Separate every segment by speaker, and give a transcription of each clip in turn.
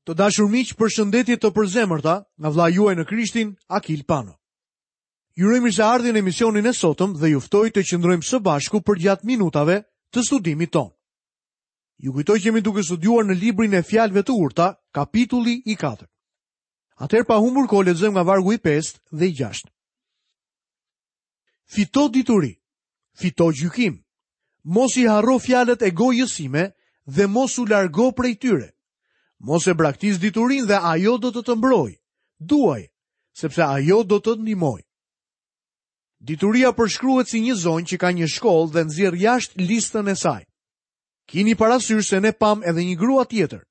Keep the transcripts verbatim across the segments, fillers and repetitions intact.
Speaker 1: Të dashur miq, përshëndetje të përzemërta nga vëllai juaj në Krishtin, Akil Pano. Ju uroj mirëseardhje në emisionin e sotëm dhe ju ftoj të qëndrojmë së bashku përgjatë minutave të studimit tonë. Ju kujtoj që jemi duke studiuar në librin e Fjalëve të Urta, kapitulli i katërt. Atëherë pa humbur kohë lexojmë nga vargu i pestë dhe i gjashtë. Fito dituri, fito gjykim. Mos i harro fjalët e gojës sime dhe mos u largo prej tyre. Mos e braktis diturinë dhe ajo do të të mbrojë. Duaj, sepse ajo do të të ndihmojë. Dituria përshkruhet si një zonjë që ka një shkollë dhe nxjerr jashtë listën e saj. Kini parasysh se ne pam edhe një grua tjetër,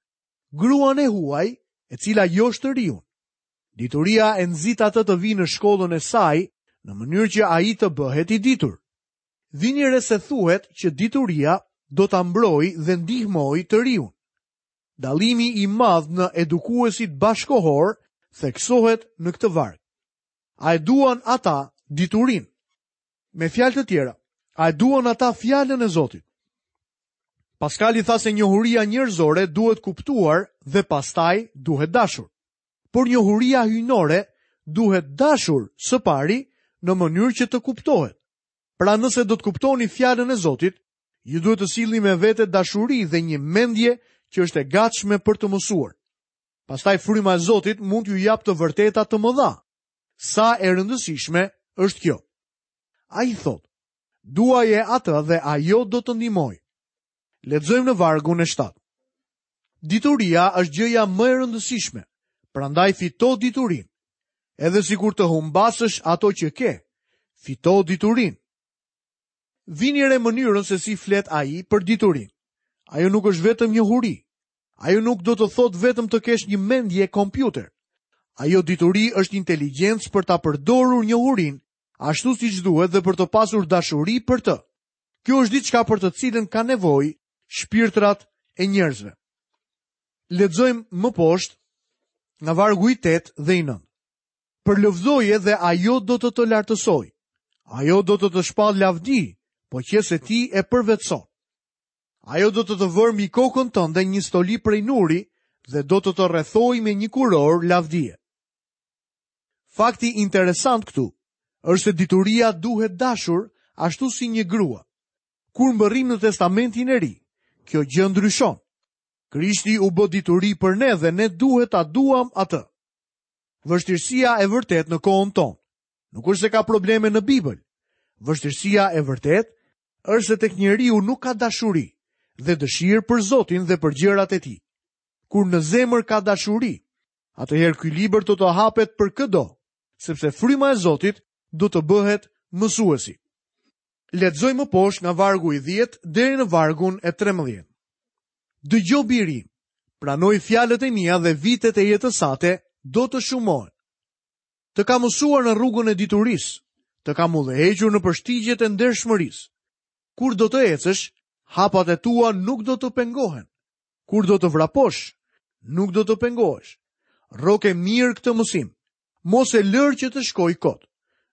Speaker 1: gruan e huaj, e cila josh të riun. Dituria e nxit atë të vijë në shkollën e saj në mënyrë që ai të bëhet i ditur. Vini re se thuhet që dituria do ta mbrojë dhe ndihmojë të riun. Dallimi i madh në edukuesit bashkohor theksohet në këtë varg. A e duan ata diturinë? Me fjalë të tjera, a e duan ata fjalën e Zotit? Paskali tha se njohuria njerëzore duhet kuptuar dhe pastaj duhet dashur. Por njohuria hyjnore duhet dashur së pari në mënyrë që të kuptohet. Pra nëse do të kuptoni fjalën e Zotit, ju duhet të sillni me vete dashuri dhe një mendje që është e gatshme për të mësuar. Pastaj fryma e Zotit mund t'ju japë të vërteta të mëdha. Sa e rëndësishme është kjo? Ai thotë, duaje atë dhe ajo do të ndihmojë. Lexojmë në vargun e shtatë. Dituria është gjëja më e rëndësishme, prandaj fito diturinë. Edhe sikur të humbasësh ato që ke, fito diturinë. Vini re mënyrën se si flet ai për diturinë. Ajo nuk është vetëm njohuri. Ajo nuk do të thotë vetëm të kesh një mendje kompjuter. Ajo dituri është inteligjencë për ta përdorur njohurinë ashtu siç duhet dhe për të pasur dashuri për të. Kjo është diçka për të cilën ka nevojë shpirtrat e njerëzve. Lexojmë më poshtë nga vargu i tetë dhe i nëntë. Përlëvdoje dhe ajo do të të lartësojë. Ajo do të të shpall lavdi, po qe se ti e përvetëson. Ajo do të të vërë mbi kokën tënde një stoli prej nuri dhe do të të rrethojë me një kurorë lavdie. Fakti interesant këtu është se dituria duhet dashur ashtu si një grua. Kur mbërrim në Testamentin e Ri, kjo gjë ndryshon. Krishti u bë dituri për ne dhe ne duhet ta duam atë. Vështirësia e vërtetë në kohën tonë nuk është se ka probleme në Bibël. Vështirësia e vërtetë është se tek njeriu nuk ka dashuri dhe dëshirë për Zotin dhe për gjërat e tij. Kur në zemër ka dashuri, atëherë ky libër do të hapet për këdo, sepse fryma e Zotit do të bëhet mësuesi. Lexojmë më poshtë nga vargu i dhjetë deri në vargun e trembëdhjetë. Dëgjo biri, pranoj fjalët e mia dhe vitet e jetës sate do të shumohen. Të kam mësuar në rrugën e diturisë, të kam udhëhequr në përshtigjet e ndershmërisë. Kur do të ecësh, hapat e tua nuk do të pengohen. Kur do të vraposh, nuk do të pengohesh. Rroke mirë këtë mësim. Mos e lër që të shkojë kot.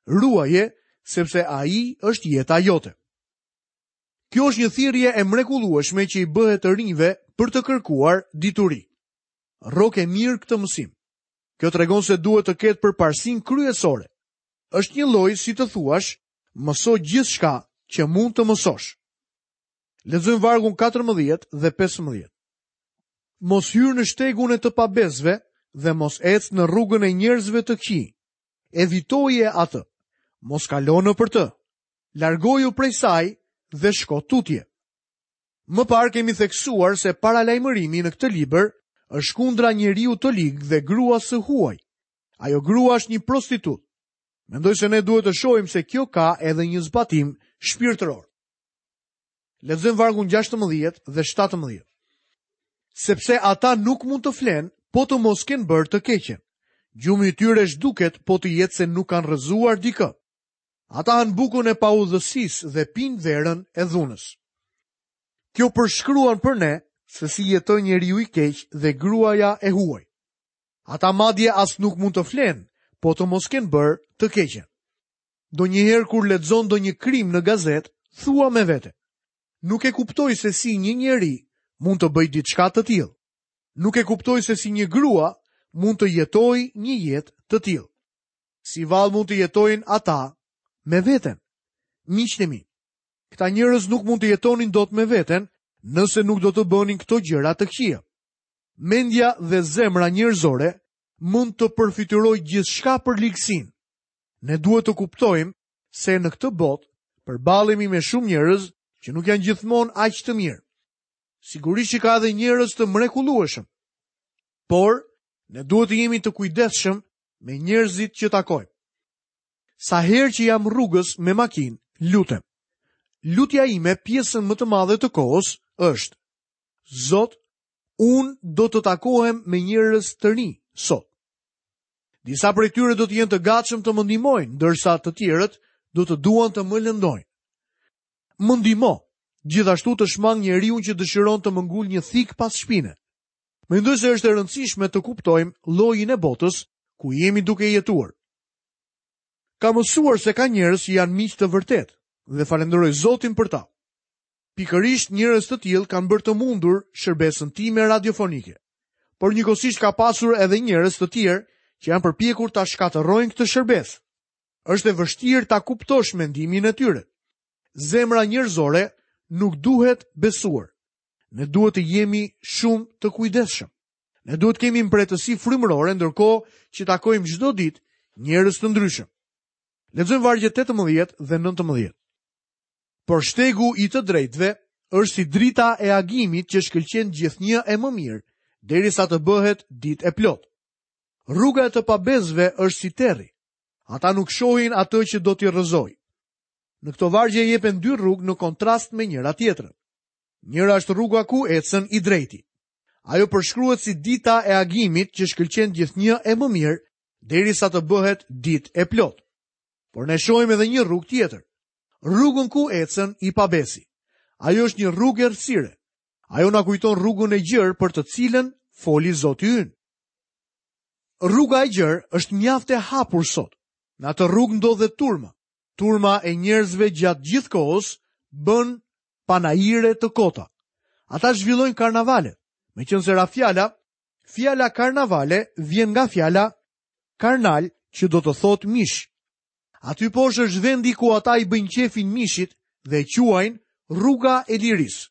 Speaker 1: Ruaje, sepse ai është jeta jote. Kjo është një thirrje e mrekullueshme që i bëhet të rinjve për të kërkuar dituri. Rroke mirë këtë mësim. Kjo tregon se duhet të ketë përparësinë kryesore. Është një lloj si të thuash, mëso gjithçka që mund të mësosh. Lexojmë vargun katërmbëdhjetë dhe pesëmbëdhjetë. Mos hyr në shtegun e të pabesëve dhe mos ec në rrugën e njerëzve të këqij. Evitoje atë. Mos kalo nëpër të. Largoju prej saj dhe shko tutje. Më parë kemi theksuar se paralajmërimi në këtë libër është kundra njeriu të lig dhe gruas së huaj. Ajo grua është një prostitut. Mendoj se ne duhet të shohim se kjo ka edhe një zbatim shpirtëror. Lexojmë vargun gjashtëmbëdhjetë dhe shtatëmbëdhjetë. Sepse ata nuk mund të flenë, po të mos kenë bërë të keqen. Gjumi i tyre zhduket, po të jetë se nuk kanë rrëzuar dikë. Ata hanë bukën e paudhësisë dhe pinë verën e dhunës. Kjo përshkruan për ne se si jetoi njeriu i keq dhe gruaja e huaj. Ata madje as nuk mund të flenë, po të mos kenë bërë të keqen. Ndonjëherë kur lexon ndonjë krim në gazetë, thua me vete: Nuk e kuptoj se si një njeri mund të bëjë diçka të tillë. Nuk e kuptoj se si një grua mund të jetojë një jetë të tillë. Si vallë mund të jetojnë ata me veten? Miqtë e mi, këta njerëz nuk mund të jetonin dot me veten nëse nuk do të bënin këto gjëra të këqija. Mendja dhe zemra njerëzore mund të përfytyrojë gjithçka për ligësinë. Ne duhet të kuptojmë se në këtë botë përballemi me shumë njerëz që nuk janë gjithmonë aq të mirë. Sigurisht që ka edhe njerëz të mrekullueshëm. Por ne duhet të jemi të kujdesshëm me njerëzit që takojmë. Sa herë që jam rrugës me makinë, lutem. Lutja ime pjesën më të madhe të kohës është: Zot, unë do të takohem me njerëz të rinj sot. Disa prej tyre do të jenë të gatshëm të më ndihmojnë, ndërsa të tjerët do të duan të më lëndojnë. Më ndihmo, gjithashtu të shmang njeriun që dëshiron të më ngul një thik pas shpine. Mendoj se është e rëndësishme të kuptojmë llojin e botës ku jemi duke jetuar. Kam mësuar se ka njerëz që janë miq të vërtetë dhe falenderoj Zotin për ta. Pikërisht njerëz të tillë kanë bërë të mundur shërbesën time radiofonike. Por njëkohësisht ka pasur edhe njerëz të tjerë që janë përpjekur ta shkatërrojnë këtë shërbesë. Është e vështirë ta kuptosh mendimin e tyre. Zemra njerëzore nuk duhet besuar. Ne duhet të jemi shumë të kujdesshëm. Ne duhet të kemi mprehtësi frymërore ndërkohë që takojmë çdo ditë njerëz të ndryshëm. Lexojmë vargjet tetëmbëdhjetë dhe nëntëmbëdhjetë. Por shtegu i të drejtëve është si drita e agimit që shkëlqen gjithnjë e më mirë, derisa të bëhet ditë e plotë. Rruga e të pabesëve është si terri. Ata nuk shohin atë që do t'i rrëzojë. Në këto vargje jepen dy rrugë në kontrast me njëra tjetrën. Njëra është rruga ku ecën i drejti. Ajo përshkruhet si dita e agimit që shkëlqen gjithnjë e më mirë, derisa të bëhet ditë e plotë. Por ne shohim edhe një rrugë tjetër. Rrugën ku ecën i pabesi. Ajo është një rrugë errësire. Ajo na kujton rrugën e gjerë për të cilën foli Zoti ynë. Rruga e gjerë është mjaft e hapur sot. Në atë rrugë ndodhet turma. Turma e njerëzve gjatë gjithë kohës bën panaire të kota. Ata zhvillojnë karnavale. Meqenëse ra fjala, fjala karnavale vjen nga fjala karnal, që do të thotë mish. Aty poshtë është vendi ku ata i bëjnë qefin mishit dhe e quajnë rruga e lirisë.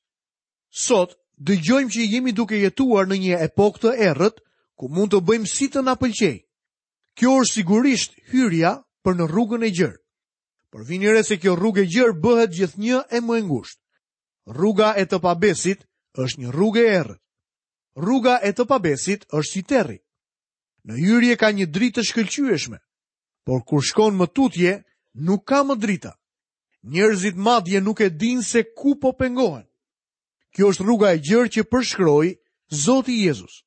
Speaker 1: Sot dëgjojmë që jemi duke jetuar në një epokë të errët ku mund të bëjmë si të na pëlqejë. Kjo është sigurisht hyrja për në rrugën e gjerë. Por vini re se kjo rrugë e gjerë bëhet gjithnjë e më e ngushtë. Rruga e të pabesit është një rrugë e errët. Rruga e të pabesit është si terri. Në hyrje ka një dritë të shkëlqyeshme, por kur shkon më tutje, nuk ka më drita. Njerëzit madje nuk e dinë se ku po pengohen. Kjo është rruga e gjerë që përshkroi Zoti Jezus.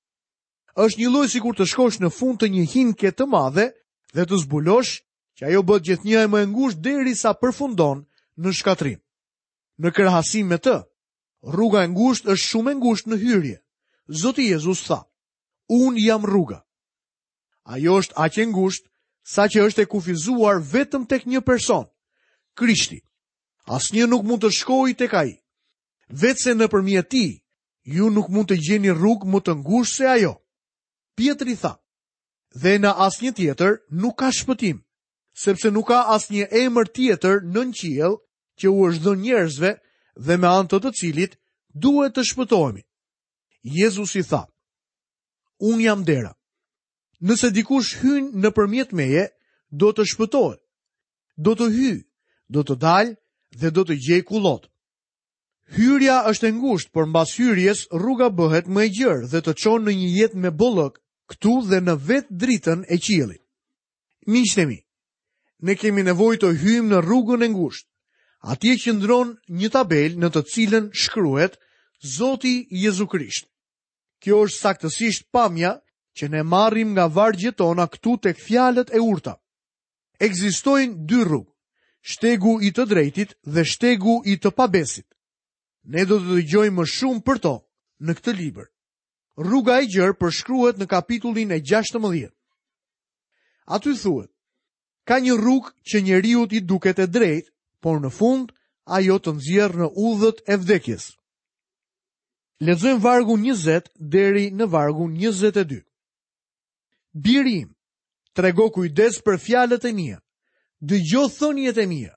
Speaker 1: Është një lloj sikur të shkosh në fund të një hinke të madhe dhe të zbulosh që ajo bëhet gjithnjë e më e ngushtë derisa përfundon në shkatrim. Në krahasim me të, rruga e ngushtë është shumë e ngushtë në hyrje. Zoti Jezus tha: "Unë jam rruga." Ajo është aq e ngushtë sa që është e kufizuar vetëm tek një person, Krishti. Asnjë nuk mund të shkojë tek ai. Vetëse nëpërmjet tij, ju nuk mund të gjeni rrugë më të ngushtë se ajo. Pietri tha: "Dhe në asnjë tjetër nuk ka shpëtim, sepse nuk ka asnjë emër tjetër nën qiell që u është dhënë njerëzve dhe me anë të të cilit duhet të shpëtohemi." Jezusi tha: "Unë jam dera. Nëse dikush hyn nëpërmjet meje, do të shpëtohet. Do të hyjë, do të dalë dhe do të gjejë kullot." Hyrja është e ngushtë, por mbas hyrjes rruga bëhet më e gjerë dhe të çon në një jetë me bollëk këtu dhe në vetë dritën e qiellit. Miqtë e mi, ne kemi nevojë të hyjmë në rrugën e ngushtë. Atje qëndron një tabelë në të cilën shkruhet Zoti Jezu Krisht. Kjo është saktësisht pamja që ne marrim nga vargjet tona këtu tek fjalët e urta. Ekzistojnë dy rrugë, shtegu i të drejtit dhe shtegu i të pabesit. Ne do të dëgjojmë më shumë për to në këtë libër. Rruga e gjerë përshkruhet në kapitullin e gjashtëmbëdhjetë. Aty thuhet: ka një rrugë që njeriut i duket e drejtë, por në fund ajo të nxjerr në udhët e vdekjes. Lexojmë vargun njëzet deri në vargun njëzet e dy. Biri im, trego kujdes për fjalët e mia. Dëgjo thëniet e mia.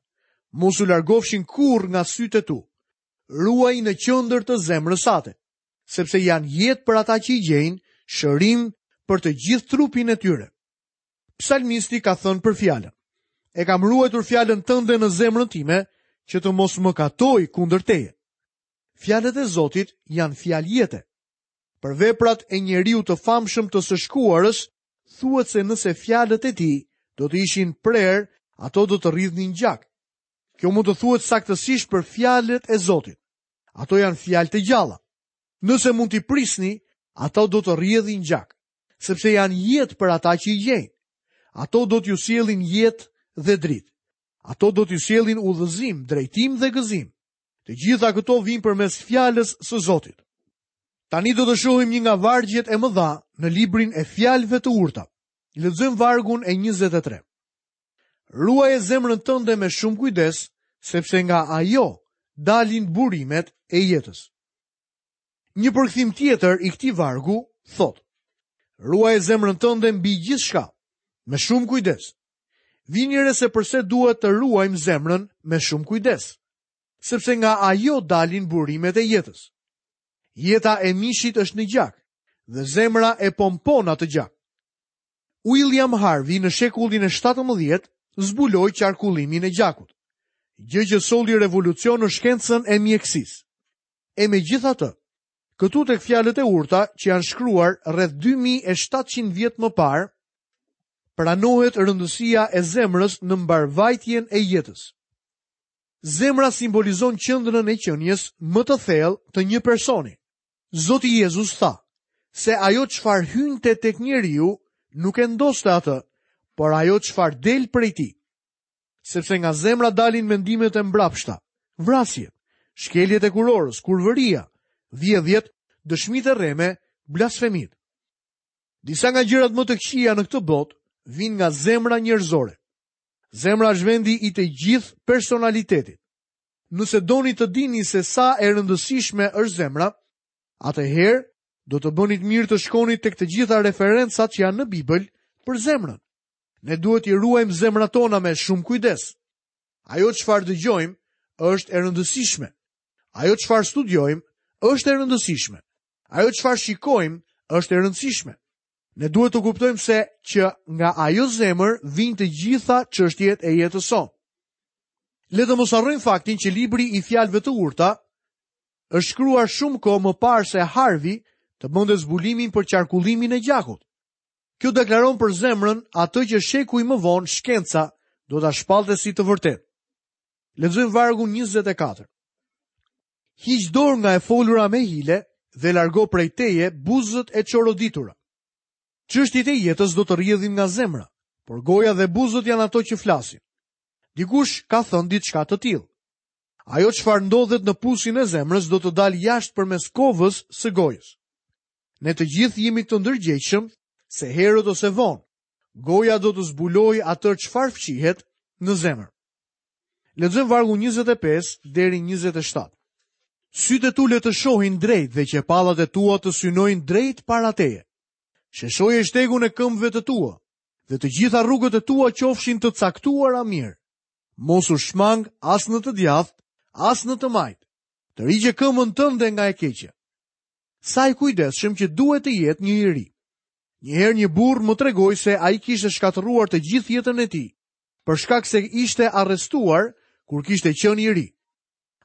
Speaker 1: Mos u largofshin kurrë nga sytë e tu. Ruaj në qendër të zemrës sate, sepse janë jetë për ata që i gjejnë, shërim për të gjithë trupin e tyre. Psalmisti ka thënë për fjalën: E kam ruajtur fjalën tënde në zemrën time, që të mos mëkatoj kundër teje. Fjalët e Zotit janë fjalë jete. Për veprat e njeriu të famshëm të së shkuarës, thuhet se nëse fjalët e tij do të ishin prerë, ato do të rridhnin gjak. Kjo mund të thuhet saktësisht për fjalët e Zotit. Ato janë fjalë të gjalla. Nëse mund t'i prisni, ato do të rrjedhin gjak, sepse janë jetë për ata që i gjejnë. Ato do t'ju sjellin jetë dhe dritë. Ato do t'ju sjellin udhëzim, drejtim dhe gëzim. Të gjitha këto vijnë përmes fjalës së Zotit. Tani do të shohim një nga vargjet e mëdha në librin e fjalëve të urta. Lexojmë vargun e njëzet e tre. Ruaje zemrën tënde me shumë kujdes, sepse nga ajo dalin burimet e jetës. Një përkthim tjetër i këtij vargu thotë: Ruaje zemrën tënde mbi gjithçka, me shumë kujdes. Vini re se përse duhet të ruajmë zemrën me shumë kujdes, sepse nga ajo dalin burimet e jetës. Jeta e mishit është në gjak, dhe zemra e pompon atë gjak. William Harvey në shekullin e shtatëmbëdhjetë zbuloi qarkullimin e gjakut, gjë që solli revolucion në shkencën e mjekësisë. E megjithatë, këtu tek fjalët e urta që janë shkruar rreth dy mijë e shtatëqind vjet më parë, pranohet rëndësia e zemrës në mbarvajtjen e jetës. Zemra simbolizon qendrën e qenies më të thellë të një personi. Zoti Jezus tha se ajo çfarë hynte tek njeriu nuk e ndoste atë, por ajo çfarë del prej tij. Sepse nga zemra dalin mendimet e mbrapshta, vrasjet, shkeljet e kurorës, kurvëria, vjedhjet, dëshmitë e rreme, blasfemitë. Disa nga gjërat më të këqija në këtë botë vijnë nga zemra njerëzore. Zemra është vendi i të gjithë personalitetit. Nëse doni të dini se sa e rëndësishme është zemra, atëherë do të bënit mirë të shkoni tek të gjitha referencat që janë në Bibël për zemrën. Ne duhet i ruajmë zemrat tona me shumë kujdes. Ajo çfarë dëgjojmë është e rëndësishme. Ajo çfarë studiojmë është e rëndësishme. Ajo çfarë shikojmë është e rëndësishme. Ne duhet të kuptojmë se që nga ajo zemër vijnë të gjitha çështjet e jetës sonë. Le të mos harrojmë faktin që libri i fjalëve të urta është shkruar shumë kohë më parë se Harvey të bënte zbulimin për qarkullimin e gjakut. Kjo deklaron për zemrën atë që shekuj më vonë shkenca do ta shpallte si të vërtetë. Lexojmë vargun njëzet e katër. Hiq dorë nga e folura me hile dhe largo prej teje buzët e çoroditura. Çështjet e jetës do të rrjedhin nga zemra, por goja dhe buzët janë ato që flasin. Dikush ka thënë diçka të tillë. Ajo çfarë ndodhet në pusin e zemrës do të dalë jashtë përmes kovës së gojës. Ne të gjithë jemi të ndërgjegjshëm se herët ose vonë, goja do të zbulojë atë çfarë fshihet në zemër. Lexojmë vargun njëzet e pesë deri njëzet e shtatë. Sytë e tu le të shohin drejt dhe qepallat e tua të synojnë drejt para teje. Sheshoje shtegun e këmbëve të tua dhe të gjitha rrugët e tua qofshin të caktuara mirë. Mos u shmang as në të djathtë, as në të majtë. Tërhiqe këmbën tënde nga e keqja. Sa i kujdesshëm që duhet të jetë një i ri. Një herë një burr më tregoi se ai kishte shkatërruar të gjithë jetën e tij, për shkak se ishte arrestuar kur kishte qenë i ri.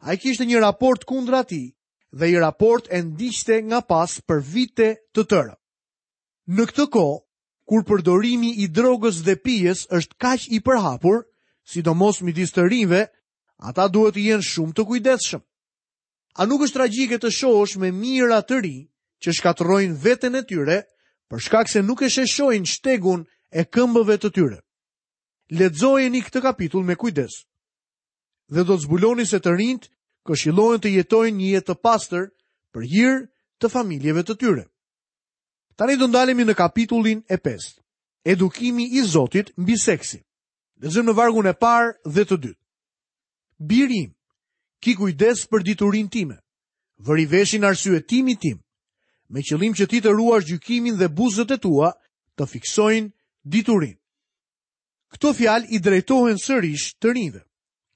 Speaker 1: Ai kishte një raport kundra tij dhe i raport e ndiqte nga pas për vite të tëra. Në këtë kohë, kur përdorimi i drogës dhe pijes është kaq i përhapur, sidomos midis të rinjve, ata duhet të jenë shumë të kujdesshëm. A nuk është tragjike të shohësh me mijëra të rinj që shkatërrojnë veten e tyre për shkak se nuk e sheshojnë shtegun e këmbëve të tyre? Lexojeni këtë kapitull me kujdes dhe do të zbuloni se të rinjt këshillohen të jetojnë një jetë të pastër për hir të familjeve të tyre. Tani do ndalemi në kapitullin e pestë, edukimi i Zotit mbi seksin. Lexojmë në vargun e parë dhe të dytë. Biri im, ki kujdes për diturinë time. Vëri veshin arsyetimit tim, me qëllim që ti të ruash gjykimin dhe buzët e tua të fiksojnë diturinë. Këto fjalë i drejtohen sërish të rinjve.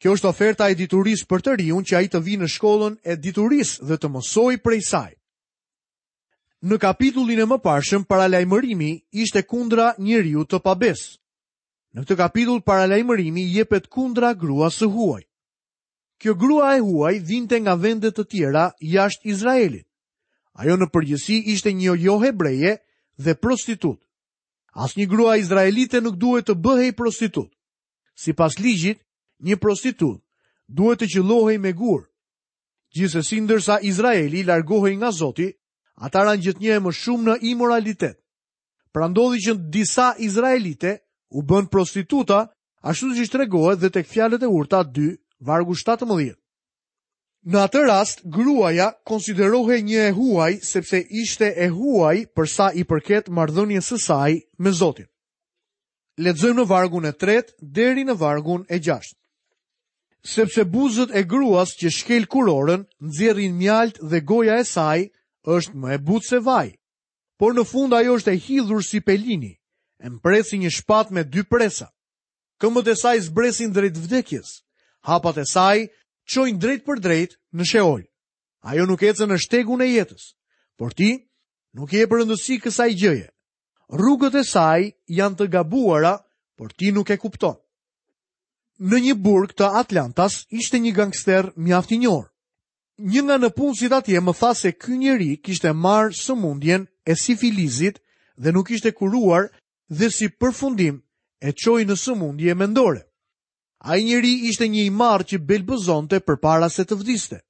Speaker 1: Kjo është oferta e diturisë për të riun që ai të vijë në shkollën e diturisë dhe të mësojë prej saj. Në kapitullin e mëparshëm paralajmërimi ishte kundra njeriu të pabes. Në këtë kapitull paralajmërimi jepet kundra gruas së huaj. Kjo grua e huaj vinte nga vende të tjera jashtë Izraelit. Ajo në përgjithësi ishte një jo hebreje dhe prostitut. Asnjë grua izraelite nuk duhet të bëhej prostitut. Sipas ligjit, një prostitut duhet të qëllohej me gur. Gjithsesi, ndërsa Izraeli largohej nga Zoti, ata ranë gjithnjë e më shumë në imoralitet. Pra ndodhi që disa izraelite u bën prostituta, ashtu siç tregohet dhe tek fjalët e urta dy, vargu shtatëmbëdhjetë. Në atë rast, gruaja konsiderohej një e huaj sepse ishte e huaj për sa i përket marrëdhënies së saj me Zotin. Lexojmë në vargun e tretë deri në vargun e gjashtë. Sepse buzët e gruas që shkel kurorën nxjerrin mjalt dhe goja e saj është më e butë se vaj. Por në fund ajo është e hidhur si pelini, e mprehtë si një shpatë me dy presa. Këmbët e saj zbresin drejt vdekjes, hapat e saj çojnë drejt për drejt në Sheol. Ajo nuk ecën në shtegun e jetës, por ti nuk i jep rëndësi kësaj gjëje. Rrugët e saj janë të gabuara, por ti nuk e kupton. Në një burg të Atlantas ishte një gangster mjaft i njohur. Një nga nëpunësit atje më tha se ky njeri kishte marrë sëmundjen e sifilizit dhe nuk ishte kuruar dhe si përfundim e çoi në sëmundje mendore. Ai njeri ishte një i marrë që belbëzonte përpara se të vdiste.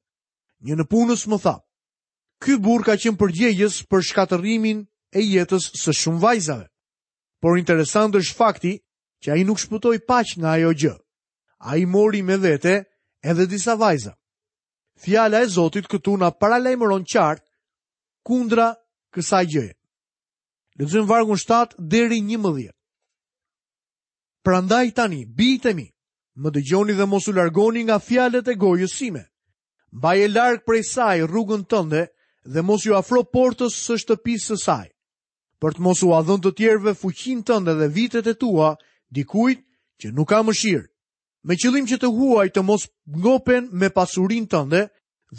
Speaker 1: Një nëpunës më tha, ky burr ka qenë përgjegjës për shkatërrimin e jetës së shumë vajzave. Por interesant është fakti që ai nuk shpëtoi paq nga ajo gjë. Ai mori me vete edhe disa vajza. Fjala e Zotit këtu na paralajmëron qartë kundra kësaj gjëje. Lexojmë vargun shtatë deri njëmbëdhjetë. Prandaj tani, bijtë e mi, më dëgjoni dhe mos u largoni nga fjalët e gojës sime. Mbaje larg prej saj rrugën tënde dhe mos ju afro portës së shtëpisë së saj, për të mos u dhënë të tjerëve fuqinë tënde dhe vitet e tua dikujt që nuk ka mëshirë, me qëllim që të huaj të mos ngopen me pasurinë tënde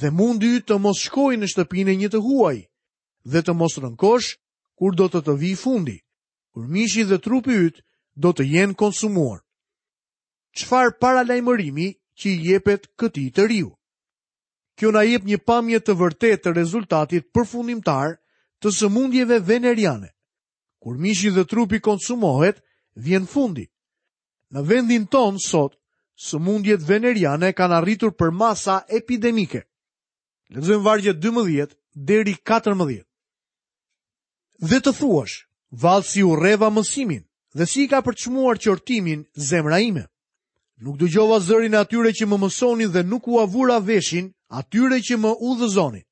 Speaker 1: dhe mundi yt të mos shkojë në shtëpinë e një të huaj dhe të mos rënkosh kur do të të vijë fundi, kur mishi dhe trupi yt do të jenë konsumuar. Çfarë paralajmërimi që i jepet këtij të riu? Kjo na jep një pamje të vërtetë të rezultatit përfundimtar të sëmundjeve veneriane. Kur mishi dhe trupi konsumohet, vjen fundi. Në vendin ton sot, sëmundjet veneriane kanë arritur për masa epidemike. Lexojmë vargjet dymbëdhjetë deri katërmbëdhjetë. Dhe të thuash, vallë si urreva mësimin dhe si i ka përçmuar qortimin zemra ime. Nuk dëgjova zërin e atyre që më mësonin dhe nuk ua vura veshin atyre që më udhëzonin.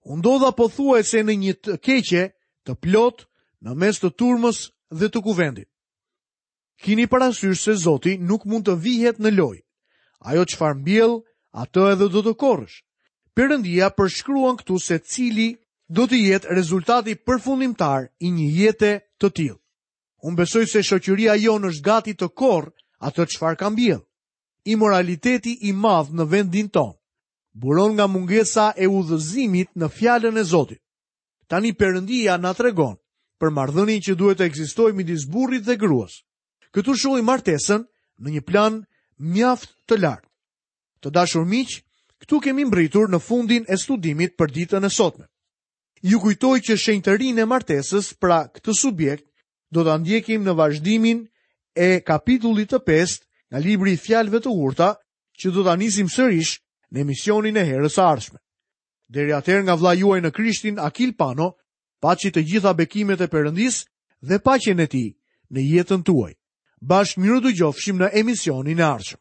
Speaker 1: U ndodha pothuajse në një të keqe të plot në mes të turmës dhe të kuvendit. Kini parasysh se Zoti nuk mund të vihet në lojë. Ajo çfarë mbjell, atë edhe do të korrësh. Perëndia përshkruan këtu se cili do të jetë rezultati përfundimtar i një jete të tillë. Unë besoj se shoqëria jonë është gati të korrë atë çfarë ka mbjell. Imoraliteti i madh në vendin tonë buron nga mungesa e udhëzimit në fjalën e Zotit. Tani Perëndia na tregon për marrëdhënien që duhet të ekzistojë midis burrit dhe gruas. Këtu shohim martesën në një plan mjaft të lartë. Të dashur miq, këtu kemi mbritur në fundin e studimit për ditën e sotme. Ju kujtoj që shenjtërinë e martesës, pra këtë subjekt, do ta ndjekim në vazhdimin e kapitullit të pestë nga libri i Fjalëve të Urta, që do ta nisim sërish në emisionin e herës së ardhshme. Deri atëherë nga vëllai juaj në Krishtin, Akil Pano, paçi të gjitha bekimet e Perëndisë dhe paqen e tij në jetën tuaj. Bashkë mirë dëgjofshim në emisionin e ardhshëm.